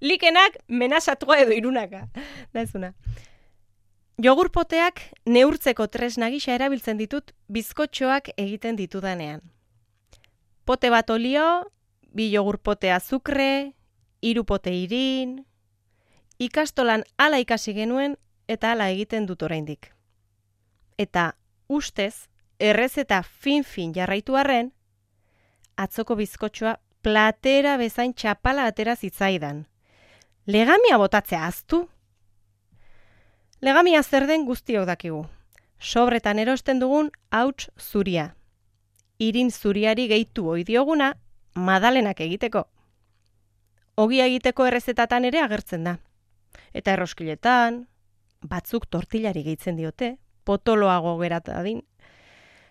Likenak menasatua edo irunaka. Da ezuna. Jogurpoteak neurtzeko tresna gisa erabiltzen ditut bizkotxoak egiten ditudanean. Pote bat olio, 2 jogurpote azukre, 3 pote irin. Ikastolan hala ikasi genuen eta hala egiten dut oraindik. Eta ustez, errezeta fin jarraitu arren, atzoko bizkotxoa platera bezain txapala atera zitzaidan. Legamia botatzea ahaztu? Legamia zer den guztiok dakigu. Sobretan erosten dugun hauts zuria. Irin zuriari gehitu ohi dioguna madalenak egiteko. Ogia egiteko errezetatan ere agertzen da. Eta erroskiletan, batzuk tortillari gehitzen diote, potoloago geratadin.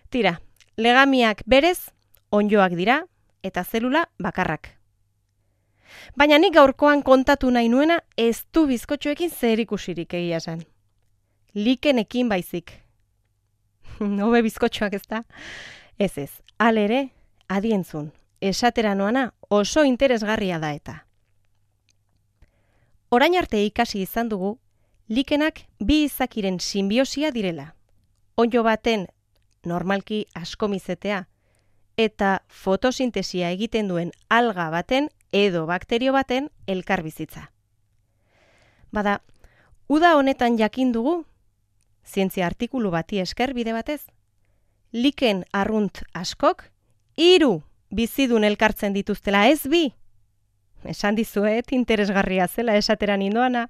Tira, legamiak berez onddoak dira eta zelula bakarrak. Baina nik gaurkoan kontatu nahi nuena ez du bizkotxoekin zerikusirik egia esan. Likenekin baizik. Hobe bizkotxoak ez da? Ez, halere, adientzun, esatera noana oso interesgarria da eta. Orain arte ikasi izan dugu, likenak bi izakiren sinbiosia direla. Onddo baten normalki askomizetea eta fotosintesia egiten duen alga baten edo bakterio baten elkarbizitza. Bada, uda honetan jakin dugu, zientzia artikulu bati esker bide batez, liken arrunt askok 3 bizidun elkartzen dituztela, ez 2. Esan dizuet interesgarria zela esatera nindoana.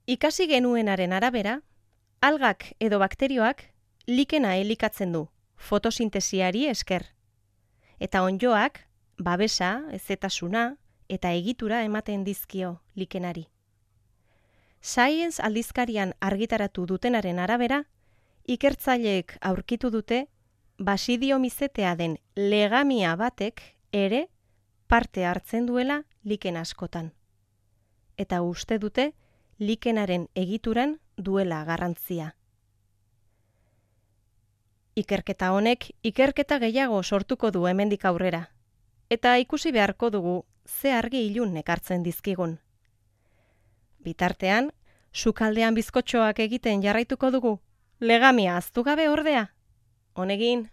Ikasi genuenaren arabera, algak edo bakterioak likena elikatzen du, fotosintesiari esker. Eta onddoak, babesa, hezetasuna eta egitura ematen dizkio likenari. Science aldizkarian argitaratu dutenaren arabera, ikertzaileek aurkitu dute basidiomizetea den legamia batek ere parte hartzen duela liken askotan. Eta uste dute likenaren egituran duela garrantzia. Ikerketa honek ikerketa gehiago sortuko du hemendik aurrera. Eta ikusi beharko dugu ze argi ilun ekartzen dizkigun. Bitartean, sukaldean bizkotxoak egiten jarraituko dugu, legamia ahaztu gabe ordea. Honegin.